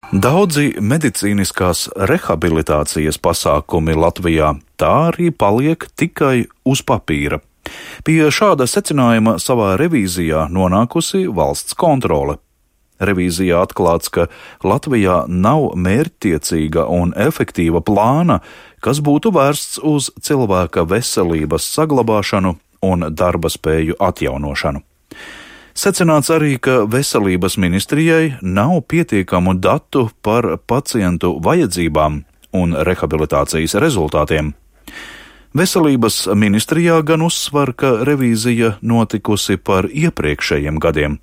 Daudzi medicīniskās rehabilitācijas pasākumi Latvijā tā arī paliek tikai uz papīra. Pie šāda secinājuma savā revīzijā nonākusi valsts kontrole. Revīzijā atklāts, ka Latvijā nav mērķtiecīga un efektīva plāna, kas būtu vērsts uz cilvēka veselības saglabāšanu un darba spēju atjaunošanu. Secināts arī, ka veselības ministrijai nav pietiekamu datu par pacientu vajadzībām un rehabilitācijas rezultātiem. Veselības ministrijā gan uzsver, ka revīzija notikusi par iepriekšējiem gadiem.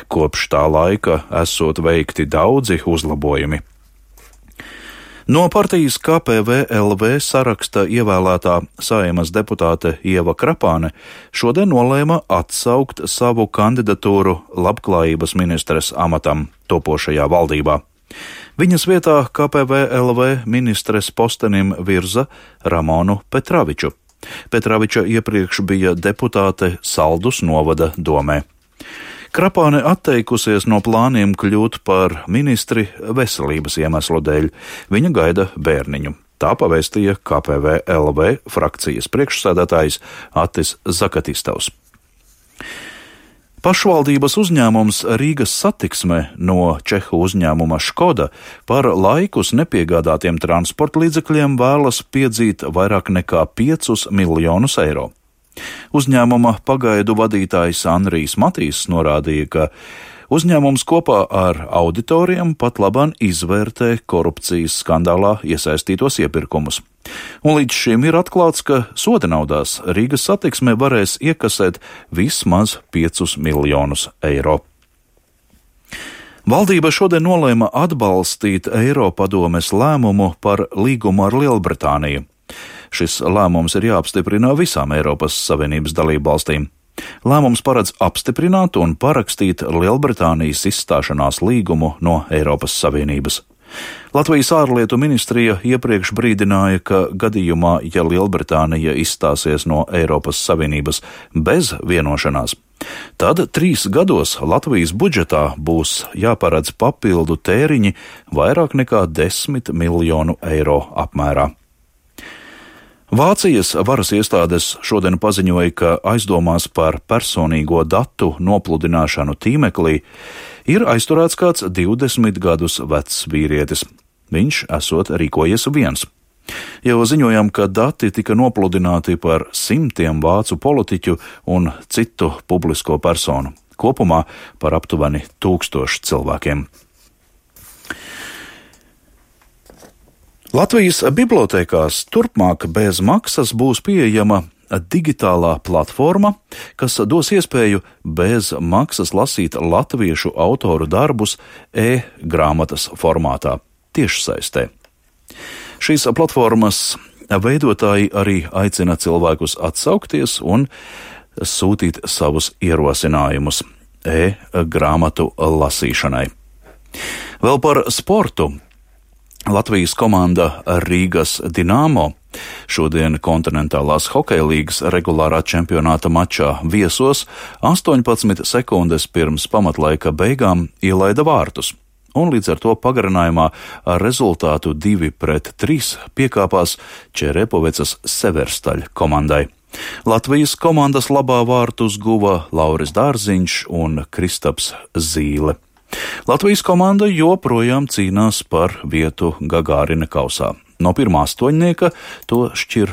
Kopš tā laika esot veikti daudzi uzlabojumi. No partijas KPVLV saraksta ievēlētā Saeimas deputāte Ieva Krapāne šodien nolēma atsaukt savu kandidatūru labklājības ministres amatam topošajā valdībā. Viņas vietā KPVLV ministres postenim virza Ramonu Petraviču. Petraviča iepriekš bija deputāte Saldus novada domē. Krapāne atteikusies no plāniem kļūt par ministri veselības iemeslu dēļ. Viņa gaida bērniņu. Tā pavēstīja KPVLV frakcijas priekšsēdētājs Atis Zakatistovs. Pašvaldības uzņēmums Rīgas Satiksme no čehu uzņēmuma Škoda par laikus nepiegādātiem transporta līdzekļiem vēlas piedzīt vairāk nekā 5 miljonus eiro. Uzņēmuma pagaidu vadītājs Andrijs Matīs norādīja, ka uzņēmums kopā ar auditoriem pat labāk izvērtē korupcijas skandālā iesaistītos iepirkumus. Un līdz šim ir atklāts, ka soda naudās Rīgas Satiksme varēs iekasēt vismaz 5 miljonus eiro. Valdība šodien nolēma atbalstīt Eiropadomes lēmumu par līgumu ar Lielbritāniju. Šis lēmums ir jāapstiprina visām Eiropas Savienības dalībvalstīm. Lēmums paredz apstiprināt un parakstīt Lielbritānijas izstāšanās līgumu no Eiropas Savienības. Latvijas ārlietu ministrija iepriekš brīdināja, ka gadījumā, ja Lielbritānija izstāsies no Eiropas Savienības bez vienošanās, tad 3 gados Latvijas budžetā būs jāparedz papildu tēriņi vairāk nekā 10 miljonu eiro apmērā. Vācijas varas iestādes šodien paziņoja, ka aizdomās par personīgo datu nopludināšanu tīmeklī ir aizturēts kāds 20 gadus vecs vīrietis. Viņš esot rīkojies viens. Jau ziņojam, ka dati tika nopludināti par 100 vācu politiķu un citu publisko personu. Kopumā par aptuveni 1000 cilvēkiem. Latvijas bibliotēkās turpmāk bez maksas būs pieejama digitālā platforma, kas dos iespēju bez maksas lasīt latviešu autoru darbus e-grāmatas formātā, tiešsaistē. Šīs platformas veidotāji arī aicina cilvēkus atsaukties un sūtīt savus ierosinājumus e-grāmatu lasīšanai. Vēl par sportu. Latvijas komanda Rīgas Dinamo šodien kontinentālās hokeja līgas regulārā čempionāta mačā viesos 18 sekundes pirms pamatlaika beigām ielaida vārtus, un līdz ar to pagarinājumā ar rezultātu 2-3 piekāpās Čerepovecas Severstaļa komandai. Latvijas komandas labā vārtus guva Lauris Dārziņš un Kristaps Zīle. Latvijas komanda joprojām cīnās par vietu Gagārina kausā. No pirmā astoņnieka to šķir